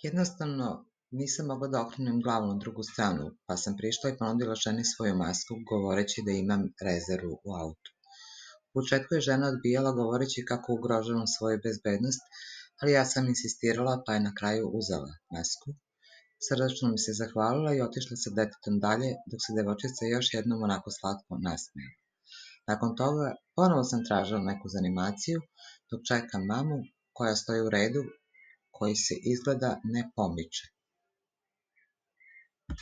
Jednostavno, nisam mogla da okrenem glavu na drugu stranu, pa sam prišla i ponudila ženi svoju masku, govoreći da imam rezervu u autu. U početku je žena odbijala govoreći kako ugrožavam svoju bezbednost, ali ja sam insistirala pa je na kraju uzela masku. Srdačno mi se zahvalila i otišla sa detetom dalje, dok se devojčica još jednom onako slatko nasmejala. Nakon toga, ponovo sam tražila neku zanimaciju, dok čekam mamu koja stoji u redu koji se izgleda ne pomiče.